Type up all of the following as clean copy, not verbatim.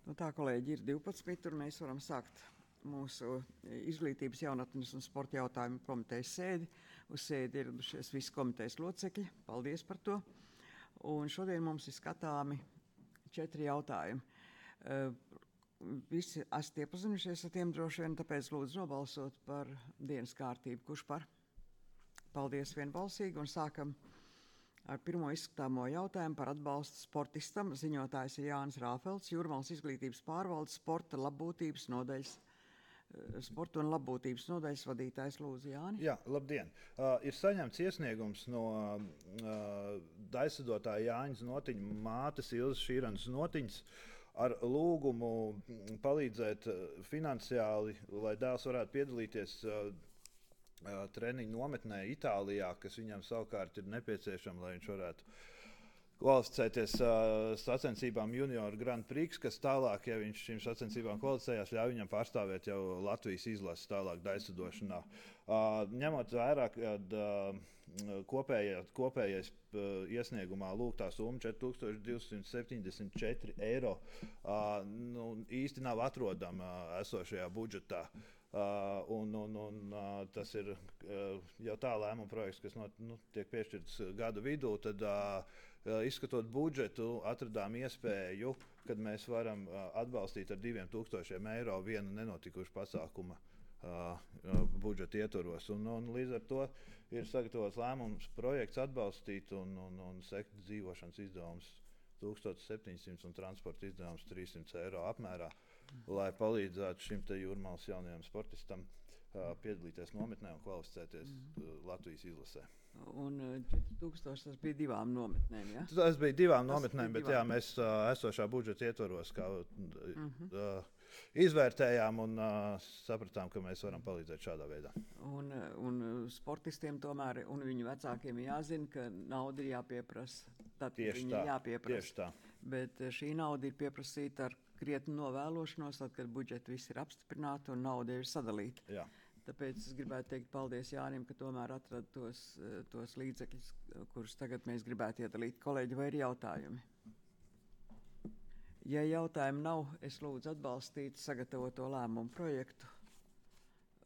Nu tā, kolēģi, ir 12, un mēs varam sākt mūsu izglītības, jaunatnes un sporta jautājumu komitejas sēdi. Uz sēdi ieradušies visi komitejas locekļi. Paldies par to. Un šodien mums ir skatāmi 4 jautājumi. Visi esat iepazinušies ar tiem droši vien, tāpēc lūdzu nobalsot par dienas kārtību. Kurš par? Paldies vienbalsīgi, un sākam ar pirmo izskatāmo jautājumu par atbalstu sportistam. Ziņotājs ir Jānis Rāfelds, Jūrmalas izglītības pārvaldes sporta un labbūtības nodaļas vadītājs. Lūdzu, Jāni. Jā, labdien. Ir saņemts iesniegums no daisadotāja Jāņas Notiņa mātes Ilzas Šīranas Notiņas ar lūgumu palīdzēt finansiāli, lai dēls varētu piedalīties treniņu nometnē Itālijā, kas viņam savukārt ir nepieciešama, lai viņš varētu kvalificēties sacensībām Junior Grand Prix, kas tālāk, ja viņš šīm sacensībām kvalificējās, ļauj viņam pārstāvēt jau Latvijas izlases tālāk daisadošanā. Ņemot vērā, kad kopējais iesniegumā lūgtā summa 4274 eiro īsti nav atrodama esošajā budžetā. Tas ir jau tā lēmuma projekts, kas tiek piešķirts gada vidū. Tad, izskatot budžetu, atradām iespēju, kad mēs varam atbalstīt ar 2000 eiro vienu nenotikušu pasākumu budžeta ietvaros. Līdz ar to ir sagatavots lēmums projekts atbalstīt un sekt dzīvošanas izdevums 1700 un transporta izdevums 300 eiro apmērā, lai palīdzētu šim te Jūrmalas jaunajam sportistam piedalīties nometnē un kvalificēties Latvijas izlasē. Un 4000 tas bija 2 nometnēm, ja? Tas bija 2 nometnēm, bet jā, mēs esošā budžeta ietvaros izvērtējām un sapratām, ka mēs varam palīdzēt šādā veidā. Un sportistiem tomēr un viņu vecākiem jāzina, ka nauda ir jāpieprasa. Tad viņi jāpieprasa. Tieši tā. Bet šī nauda ir pieprasīta ar krietnu novēlošanos, tad, kad budžeti viss ir apstiprināti un nauda ir sadalīta. Jā. Tāpēc es gribētu teikt paldies Jānim, ka tomēr atrada tos līdzekļus, kurus tagad mēs gribētu iedalīt. Kolēģi, vai ir jautājumi? Ja jautājumi nav, es lūdzu atbalstīt sagatavoto lēmumu projektu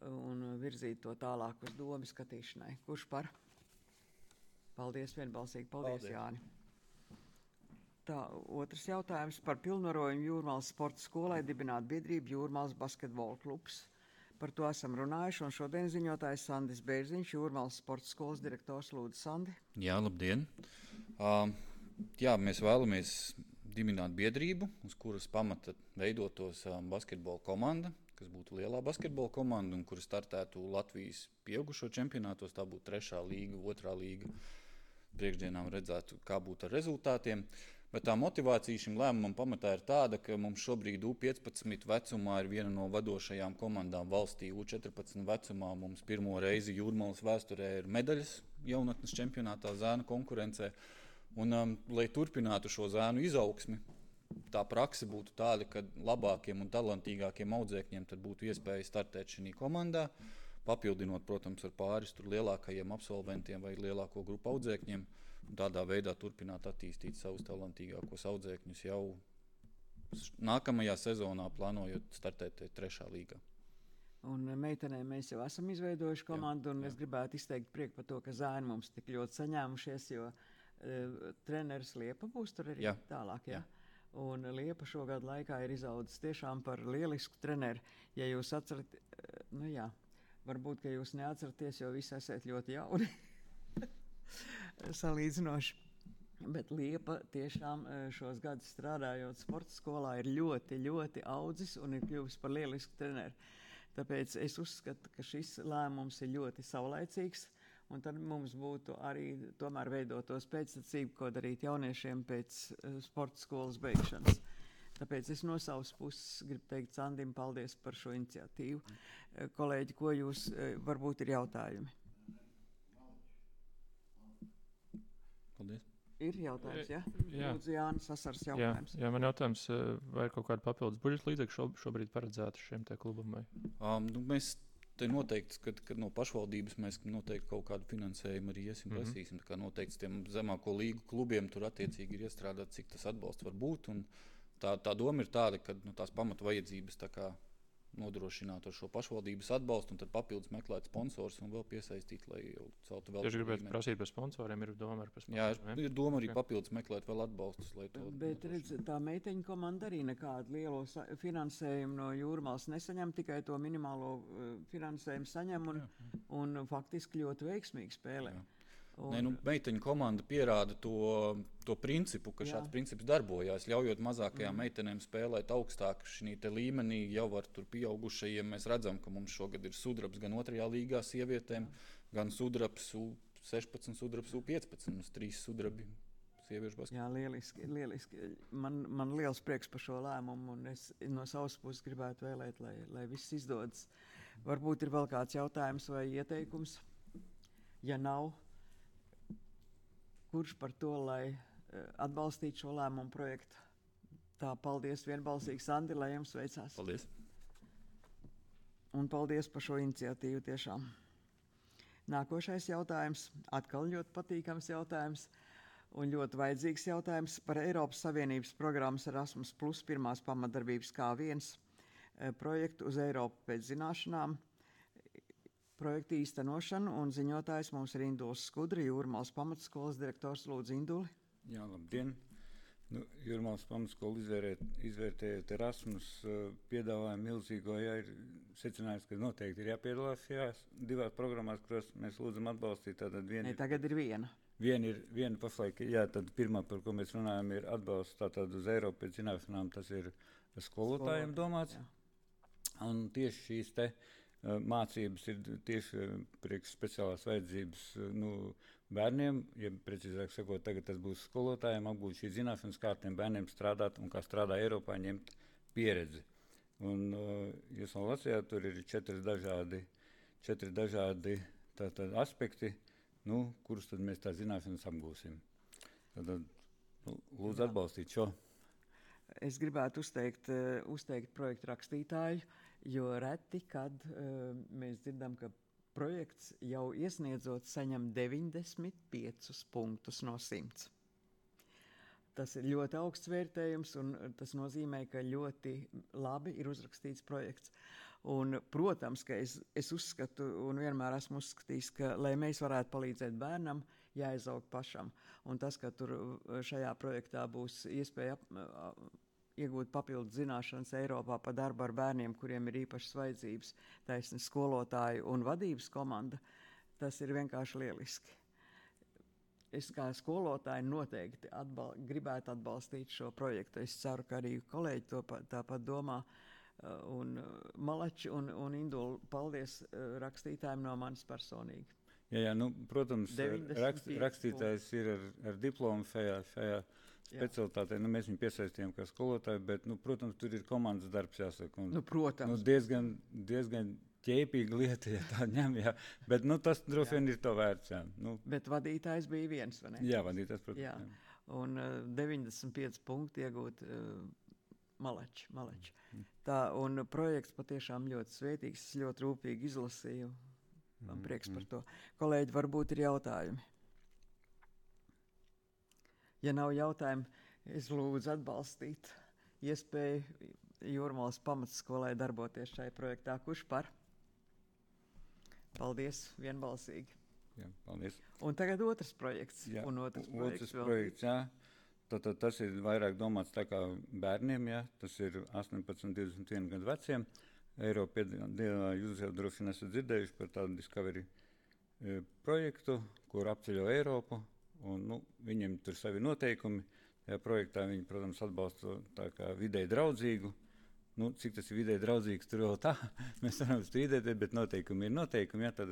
un virzīt to tālāk uz domu skatīšanai. Kurš par? Paldies vienbalsīgi. Paldies. Jāni. Tā, otrs jautājums par pilnvarojumu Jūrmalas sporta skolai dibināt biedrību Jūrmalas basketbola klubs. Par to esam runājuši, un šodien ziņotājs Sandis Bērziņš, Jūrmalas sporta skolas direktors. Lūdzu, Sandi. Jā, labdien. Mēs vēlamies dibināt biedrību, uz kuras pamata veidotos basketbola komanda, kas būtu lielā basketbola komanda un kura startētu Latvijas pieaugušo čempionātos. Tā būtu 3. līga, 2. līga. Priekšdienām redzētu, kā būtu ar rezultātiem. Bet tā motivācija šim lēmumam pamatā ir tāda, ka mums šobrīd U15 vecumā ir viena no vadošajām komandām valstī. U14 vecumā mums pirmo reizi Jūrmalas vēsturē ir medaļas jaunatnes čempionātā zēnu konkurencē. Un, lai turpinātu šo zēnu izaugsmi, tā prakse būtu tāda, ka labākiem un talantīgākiem audzēkņiem tad būtu iespēja startēt šī komandā, papildinot, protams, ar pāris lielākajiem absolventiem vai lielāko grupu audzēkņiem, un tādā veidā turpināt attīstīt savus talantīgākos audzēkņus jau nākamajā sezonā, plānojot startēt 3. līgā. Un meitenēm mēs jau esam izveidojuši komandu, un es gribētu izteikt prieku par to, ka zēni mums tik ļoti saņēmušies, jo treneris Liepa būs tur arī tālāk, jā? Un Liepa šogad laikā ir izaudzis tiešām par lielisku treneri. Ja jūs atcerat, varbūt, ka jūs neatceraties, jo visi esat ļoti jauni salīdzinoši. Bet Liepa tiešām šos gadus strādājot sporta skolā ir ļoti, ļoti audzis un ir kļuvis par lielisku treneri. Tāpēc es uzskatu, ka šis lēmums ir ļoti saulaicīgs, un tad mums būtu arī tomēr veidotos pēctecību, ko darīt jauniešiem pēc sporta skolas beigšanas. Tāpēc es no savas puses gribu teikt Sandim paldies par šo iniciatīvu. Kolēģi, ko jūs varbūt ir jautājumi? Paldies. Ir jautājums, ja? Lūdzu, Jānis Sasars jautājums. Jā, man jautājums, vai ir kaut kāda papildus budžeta līdzekļu šobrīd paredzēta šiem te klubam? Mēs te noteikti, kad no pašvaldības mēs noteikti kaut kādu finansējumu arī prasīsim. Tā kā noteikti tiem zemāko līgu klubiem tur attiecīgi ir iestrādāt, cik tas atbalsts var būt. Un tā doma ir tāda, ka tās pamatu vajadzības tā kā nodrošināt ar šo pašvaldības atbalstu, un tad papildus meklēt sponsors un vēl piesaistīt, lai jau celtu vēl. Tieši gribētu prasīt par sponsoriem, ir doma par sponsoriem. Jā, ir doma arī papildus meklēt vēl atbalstus, lai to. Bet redz, tā meiteņu komanda arī nekādu lielo finansējumu no Jūrmālas nesaņem, tikai to minimālo finansējumu saņem un faktiski ļoti veiksmīgi spēlē. Jā. Meiteņu komanda pierāda to principu, ka šāds princips darbojās, ļaujot mazākajām meitenēm spēlēt augstāk šī līmenī, jau ar tur pieaugušajiem. Mēs redzam, ka mums šogad ir sudrabs gan 2. līgā sievietēm, gan sudrabs U16, sudrabs U15, mums 3 sudrabi sieviešu basketbolā. Jā, lieliski. Man liels prieks par šo lēmumu, un es no savas puses gribētu vēlēt, lai viss izdodas. Varbūt ir vēl kāds jautājums vai ieteikums? Ja nav, kurš par to, lai atbalstītu šo lēmumu projektu? Tā, paldies vienbalsīgi, Sandi, lai jums veicās. Paldies. Un paldies par šo iniciatīvu tiešām. Nākošais jautājums, atkal ļoti patīkams jautājums un ļoti vajadzīgs jautājums par Eiropas Savienības programmas Erasmus Plus pirmās pamatdarbības K1 projektu uz Eiropu pēc zināšanām. Projekta īstenošanu, un ziņotājs mums ir Induls Skudra, Jūrmālas pamatskolas direktors. Lūdzu, Induli. Jā, labdien. Jūrmālas pamatskola izvērtējot Erasmus piedāvājumu milzīgo, ir secinājums, ka noteikti ir jāpiedalās šajās 2 programmās, kuras mēs lūdzam atbalstīt. Tagad ir viena. Viena pašlaik, tad pirmā, par ko mēs runājam, ir atbalsts tātad uz Eiropu pēc zināšanām, tas ir skolotājiem domāts. Jā. Un tieši šīs mācības ir tieši priekš speciālās vajadzības bērniem, ja precīzāk sakot, tagad tas būs skolotājiem, apgūt šīs zināšanas, kā tiem bērniem strādāt un kā strādā Eiropā, ņemt pieredzi. Un jūs vēl lasījāt, tur ir 4 dažādi aspekti, kurus tad mēs tā zināšanas apgūsim. Tad lūdzu atbalstīt šo. Es gribētu uzteikt projektu rakstītāju, jo reti, kad mēs dzirdam, ka projekts jau iesniedzot saņem 95 punktus no 100. Tas ir ļoti augsts vērtējums, un tas nozīmē, ka ļoti labi ir uzrakstīts projekts. Un, protams, ka es uzskatu un vienmēr esmu uzskatījis, ka, lai mēs varētu palīdzēt bērnam, jāizaug pašam. Un tas, ka tur šajā projektā būs iespēja iegūt papildus zināšanas Eiropā par darbu ar bērniem, kuriem ir īpašas vajadzības, taisni skolotāju un vadības komanda, tas ir vienkārši lieliski. Es kā skolotāji noteikti gribētu atbalstīt šo projektu. Es ceru, ka arī kolēģi tāpat domā. Un Malači un Indula, paldies rakstītājiem no manis personīgi. Jā, protams, rakstītājs ir ar diplomu šajā specialitātē. Mēs viņu piesaistījām kā skolotāju, bet, protams, tur ir komandas darbs jāsaka. Un, protams. Diezgan ķēpīga lieta, ja tā ņem, jā. Bet, tas droši vien ir to vērts, jā. Bet vadītājs bija viens, vai ne? Jā, vadītājs, protams. Jā. Un 95 punkti iegūt Malači. Tā, un projekts patiešām ļoti svētīgs, ļoti rūpīgi izlasīju. Man prieks par to. Kolēģi, varbūt ir jautājumi. Ja nav jautājumu, es lūdzu atbalstīt iespēju Jūrmālas pamatskolai darboties šajā projektā. Kurš par? Paldies, vienbalsīgi. Jā, paldies. Un tagad otrs projekts. Jā, otrs projekts, jā. Tad tas ir vairāk domāts tā kā bērniem, jā. Tas ir 18, 21 gadu veciem. Eiropa, jūs jau droši vien esat dzirdējuši par tādu Discovery projektu, kur apceļo Eiropu. Un, viņiem tur savi noteikumi. Tajā projektā viņi, protams, atbalsta tā kā vidēji draudzīgu. Cik tas ir vidēji draudzīgs, tur vēl tā. Mēs varam strīdēties, bet noteikumi ir noteikumi. Jā, tad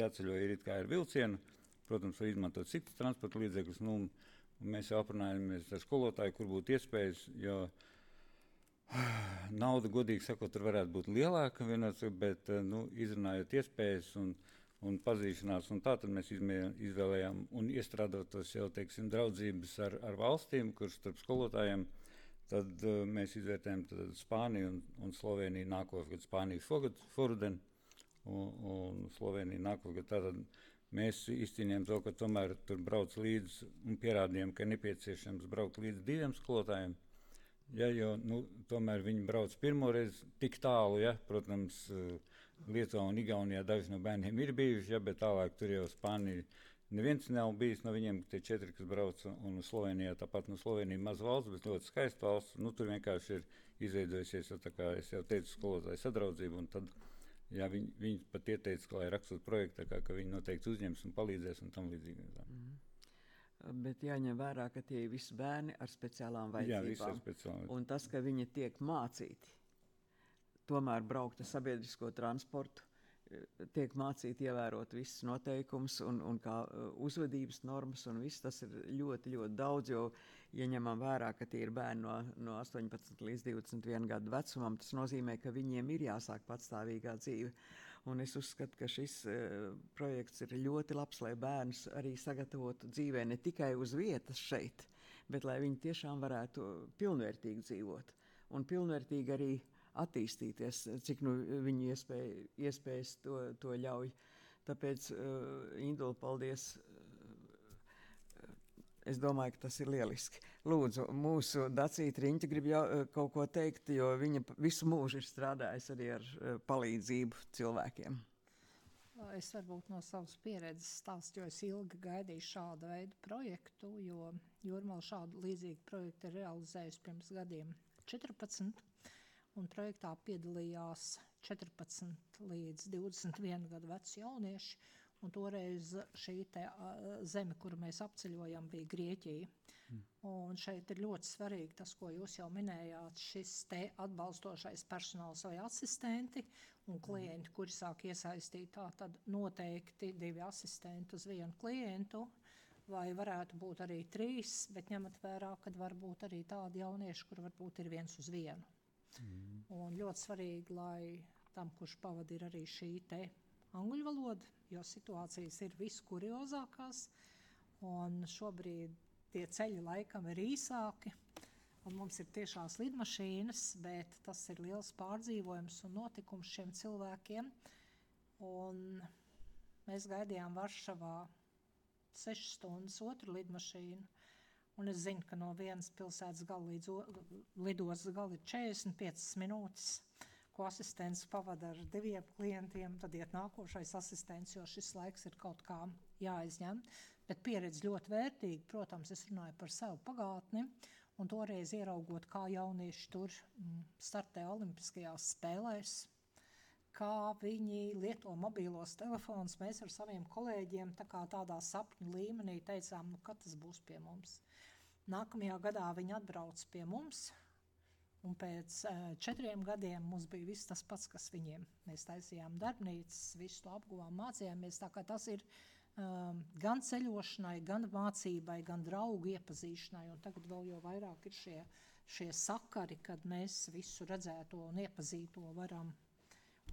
jāceļo ir it kā ar vilcienu. Protams, var izmantot citus transporta līdzekļus. Mēs jau aprunājamies ar skolotāju, kur būtu iespējas, jo nauda, godīgi sakot, tur varētu būt lielāka, bet izrunājot iespējas un pazīšanās, un tā tad mēs izvēlējām un iestrādāt tos jau, draudzības ar valstīm, kurš starp skolotājiem, tad mēs izvērtējam Spāniju un Sloveniju nākošgad. Spāniju šoruden un Sloveniju nākošgad. Tātad mēs izcīnījām to, ka tomēr tur brauc līdz un pierādījām, ka nepieciešams braukt līdz 2 skolotājiem. Ja, jo tomēr viņi brauc pirmo reizi tik tālu, ja, protams, Lietuvā un Igaunijā daži no bērniem ir bijuši, ja, bet tālāk tur jau Spānija neviens nav bijis no viņiem, tie 4, kas brauc, un Slovenijā, tāpat Slovenija maz valsts, bet ļoti skaista valsts, tur vienkārši ir izveidojusies, tā kā es jau teicu, skolotāju sadraudzību, un tad, jā, viņi pat ieteica, lai rakstot projektu, ka viņi noteikti uzņems un palīdzēs un tam līdzīgi. Bet jāņem vērā, ka tie ir visi bērni ar speciālām vajadzībām. Jā, visi ar speciālām. Un tas, ka viņi tiek mācīti, tomēr braukt ar sabiedrisko transportu, tiek mācīti ievērot visas noteikumus un kā uzvedības normas, un viss tas ir ļoti, ļoti daudz, jo, ja ņemam vērā, ka tie ir bērni no 18 līdz 21 gadu vecumam, tas nozīmē, ka viņiem ir jāsāk patstāvīgā dzīve. Un es uzskatu, ka šis projekts ir ļoti labs, lai bērnus arī sagatavotu dzīvē ne tikai uz vietas šeit, bet lai viņi tiešām varētu pilnvērtīgi dzīvot un pilnvērtīgi arī attīstīties, cik viņu iespējas to ļauj. Tāpēc, Indula, paldies. Es domāju, ka tas ir lieliski. Lūdzu, mūsu Dacīta Riņķa grib kaut ko teikt, jo viņa visu mūžu ir strādājusi arī ar palīdzību cilvēkiem. Es varbūt no savas pieredzes stāstu, jo es ilgi gaidīju šādu veidu projektu, jo Jūrmala šādu līdzīgu projektu ir realizējusi pirms gadiem 14. Un projektā piedalījās 14 līdz 21 gadu veci jaunieši, un toreiz šī zeme, kuru mēs apceļojam, bija Grieķija. Un šeit ir ļoti svarīgi tas, ko jūs jau minējāt, šis te atbalstošais personāls vai asistenti un klienti, kuri sāk iesaistīt, tā tad noteikti 2 asistenti uz 1 klientu, vai varētu būt arī 3, bet ņemat vērā, kad var būt arī tādi jaunieši, kur varbūt ir 1 uz 1. Un ļoti svarīgi, lai tam, kurš pavada, ir arī šī te angļu valoda, jo situācijas ir viskuriozākās, un šobrīd tie ceļi laikam ir īsāki, un mums ir tiešās lidmašīnas, bet tas ir liels pārdzīvojums un notikums šiem cilvēkiem. Un mēs gaidījām Varšavā 6 stundas otru lidmašīnu, un es zinu, ka no vienas pilsētas gala līdz lidostas gala ir 45 minūtes, ko asistents pavada ar 2 klientiem, tad iet nākošais asistents, jo šis laiks ir kaut kā jāizņem. Bet pieredze ļoti vērtīga, protams, es runāju par savu pagātni, un toreiz ieraugot, kā jaunieši tur startē olimpiskajās spēlēs, kā viņi lieto mobīlos telefonus, mēs ar saviem kolēģiem tādā sapņu līmenī teicām, kad tas būs pie mums. Nākamajā gadā viņi atbrauc pie mums, un pēc 4 gadiem mums bija viss tas pats, kas viņiem. Mēs taisījām darbnīcas, visu to apguvām, mācījāmies, tā kā tas ir gan ceļošanai, gan mācībai, gan draugu iepazīšanai, un tagad vēl jau vairāk ir šie sakari, kad mēs visu redzēto un iepazīto varam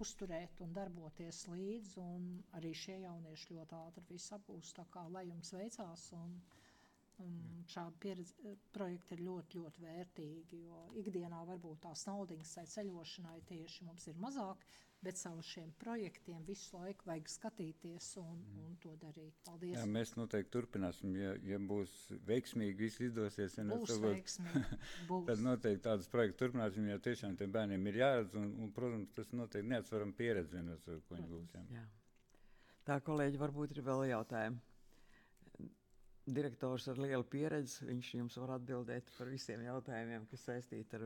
uzturēt un darboties līdz, un arī šie jaunieši ļoti ātri visu apgūst, tā kā lai jums veicās, un šādi projekti ir ļoti, ļoti vērtīgi, jo ikdienā varbūt tās naudiņas tai ceļošanai tieši mums ir mazāk, bet savu šiem projektiem visu laiku vajag skatīties un to darīt. Paldies! Jā, mēs noteikti turpināsim, ja būs veiksmīgi, viss izdosies. Būs veiksmīgi, būs. Tad noteikti tādas projektu turpināsim, jo tiešām tiem bērniem ir jāredz, un protams, tas noteikti neatsvaram pieredzi vienos, ko viņi būs. Jā. Tā, kolēģi, varbūt ir vēl jautājumi. Direktors ar lielu pieredzi, viņš jums var atbildēt par visiem jautājumiem, kas saistīti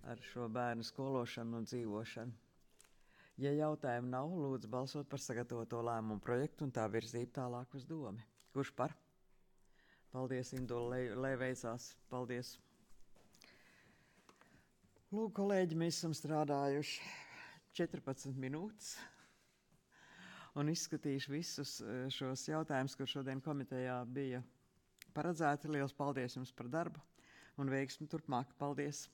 ar šo bērnu skološanu un dzīvošanu. Ja jautājumu nav, lūdzu balsot par sagatavoto lēmumu projektu un tā virzību tālāk uz domi. Kurš par? Paldies, Indula, lai veicās. Paldies. Lūk, kolēģi, mēs esam strādājuši 14 minūtes. Un izskatīšu visus šos jautājumus, kur šodien komitejā bija paredzēti. Liels paldies jums par darbu un veiksmi turpmāk. Paldies!